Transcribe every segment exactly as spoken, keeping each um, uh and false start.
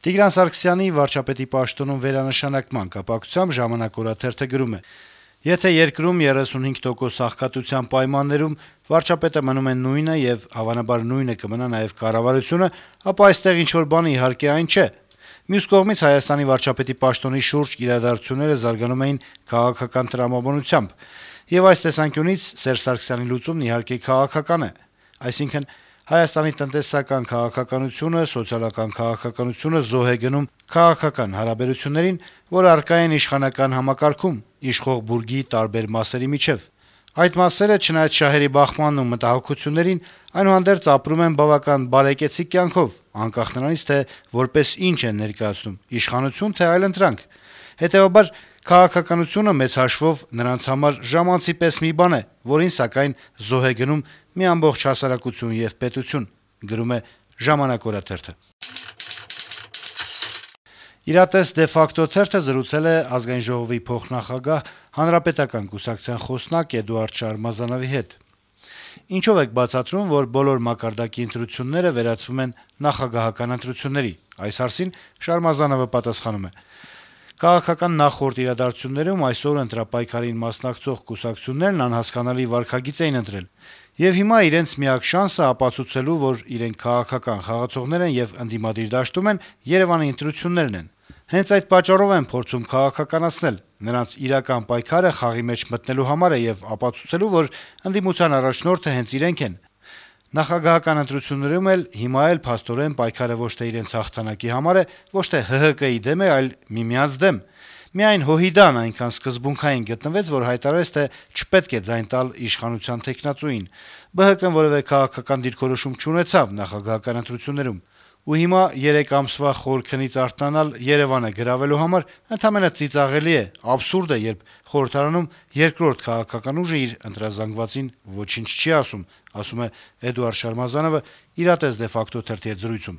Տիգրան Սարգսյանի վարչապետի պաշտոնում վերանշանակման կապակցությամբ «Ժամանակ» օրաթերթը գրում է. - «Եթե երկրում երեսունհինգ տոկոս աղքատության պայմաններում վարչապետը մնում է նույնը եւ հավանաբար նույնը կմնա նաեւ կառավարությունը, ապա այստեղ ինչ-որ բանը իհարկե այն չէ։ Մյուս կողմից Հայաստանի վարչապետի պաշտոնի շուրջ իրադարձությունները զարգանում էին քաղաքական տրամաբանությամբ, եւ այս տեսանկյունից Սերժ Սարգսյանի լուծումն իհարկե քաղաքական է։ Այսինքն Հայաստանի տնտեսական քաղաքականությունը, սոցիալական քաղաքականությունը զոհ է գնում քաղաքական հարաբերություններին, որ առկա են իշխանական համակարգում, իշխող բուրգի տարբեր մասերի միջեւ։ Այդ մասերը, չնայած շահերի բախմանն ու մտահոգություններին, այնուհանդերձ ապրում են բավական բարեկեցիկ կյանքով, անկախ նրանից, թե որպես ինչ են ներկայացնում՝ իշխանություն, թե այլընտրանք։ Հետեւաբար քաղաքականությունը մեծ հաշվով նրանց համար ժամանցի պես մի բան է, որին սակայն զոհ է գնում մի ամբողջ հասարակություն եւ պետություն»։ «Իրատես de facto» թերթը զրուցել է Ազգային ժողովի փոխնախագահ, Հանրապետական կուսակցության խոսնակ Էդուարդ Շարմազանովի հետ։ «Ինչով եք բացատրում, որ բոլոր մակարդակի ընտրությունները վերածվում են նախագահական ընտրությունների»։ Այս հարցին Շարմազանովը պատասխանում է. - «Քաղաքական նախորդ իրադարձություններում այսօր ընտրապայքարին մասնակցող կուսակցություններն անհասկանալի վարքագիծ էին ընտրել, եւ հիմա իրենց միակ շանսը ապացուցելու, որ իրենք քաղաքական խաղացողներ են եւ ընդդիմադիր դաշտում են, Երեւանի ընտրություններն են։ Հենց այդ պատճառով են փորձում քաղաքականացնել։ Նրանց իրական պայքարը խաղի մեջ մտնելու համար է եւ ապացուցելու, որ ընդդիմության առաջնորդը հենց իրենք են։ Նախագահական ընտրություններում էլ հիմա էլ փաստորեն պայքարը ոչ թե իրենց հաղթանակի համար է, ոչ թե ՀՀԿ-ի դեմ է, այլ միմյանց դեմ։ Միայն Հոհիդան այնքան սկզբունքային գտնվեց, որ հայտարարեց, թե չպետք է ձայն տալ իշխանության թեկնածուին։ ԲՀԿ-ն որեւէ քաղաքական դիրքորոշում չունեցավ նախագահական ընտրություններում։ Ու հիմա երեք ամսվա խոր քնից արթնանալ Երեւանը գրավելու համար ընդամենը ծիծաղելի է, աբսուրդ է, երբ խորհրդարանում երկրորդ քաղաքական ուժը իր ընտրազանգվածին ոչինչ չի ասում», ասում է Էդուարդ Շարմազանովը «Իրատես de facto» թերթի հետ զրույցում։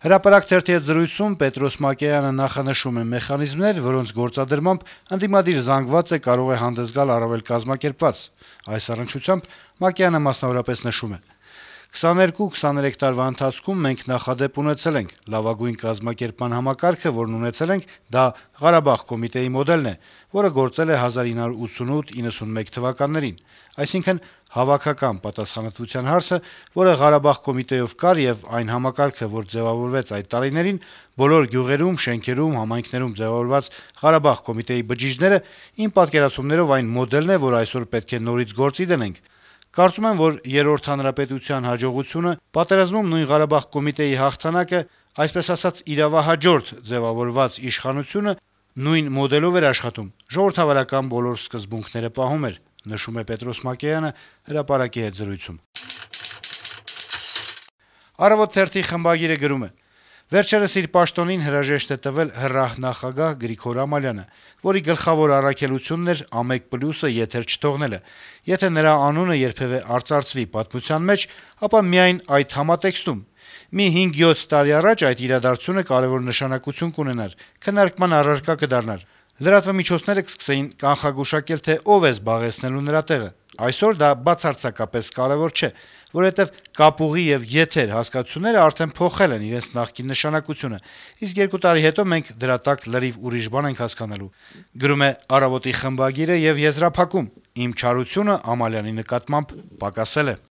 «Հրապարակ» թերթի հետ զրույցում Պետրոս Մակեյանը նախանշում է մեխանիզմներ, որոնց գործադրմամբ ընդդիմադիր զանգվածը կարող է հանդես գալ առավել կազմակերպված։ Այս առնչությամբ Մակեյանը մասնավորապես նշում է. - «քսաներկու քսաներեք տարվա ընթացքում մենք նախադեպ ունեցել ենք. լավագույն կազմակերպման համակարգը, որն ունեցել ենք, դա Ղարաբաղ կոմիտեի մոդելն է, որը գործել է հազար ինը հարյուր ութսունութ իննսունմեկ թվականներին։ Այսինքն հավաքական պատասխանատվության հարցը, որը Ղարաբաղ կոմիտեով կար, եւ այն համակարգը, որ ձեւավորվեց այդ տարիներին, բոլոր գյուղերում, շենքերում, համայնքներում ձեւավորված Ղարաբաղ կոմիտեի բջիջները, իմ պատկերացումներով այն մոդելն է, որ այսօր պետք է նորից գործի դնենք։ Կարծում եմ, որ երրորդ հանրապետության հաջողությունը, պատերազմում նույն Ղարաբաղ կոմիտեի հաղթանակը, այսպես ասած իրավահաջորդ ձեւավորված իշխանությունը նույն մոդելով էր աշխատում, ժողովրդավարական բոլոր սկզբունքները պահում էր», նշում է Պետրոս Մակեյանը «Հրապարակ»-ի հետ զրույցում։ «Առավոտ» թերթի խմբագիրը գրում է. - «Վերջերս իր պաշտոնին հրաժեշտ է տվել ՀՌԱՀ նախագահ Գրիգոր Ամալյանը, որի գլխավոր առաքելությունն էր «Ամեկ պլյուսը» եթեր չթողնելը։ Եթե նրա անունը երբեւէ արծարծվի պատմության մեջ, ապա միայն այդ համատեքստում։ Մի հինգ-յոթ տարի առաջ այդ իրադարձությունը կարեւոր նշանակություն կունենար, քննարկման առարկա կդառնար։ Լրատվամիջոցները կսկսեին կանխագուշակել, թե ով է զբաղեցնելու նրա տեղը։ Այսօր դա բացարձակապես կարեւոր չէ, որովհետեւ կապուղի եւ եթեր հասկացությունները արդեն փոխել են իրենց նախկին նշանակությունը, իսկ երկու տարի հետո մենք դրա տակ լրիվ ուրիշ բան ենք հասկանալու», գրում է «Առավոտ»-ի խմբագիրը եւ եզրափակում. - «Իմ չարությունը Ամալյանի նկատմամբ պակասել է»։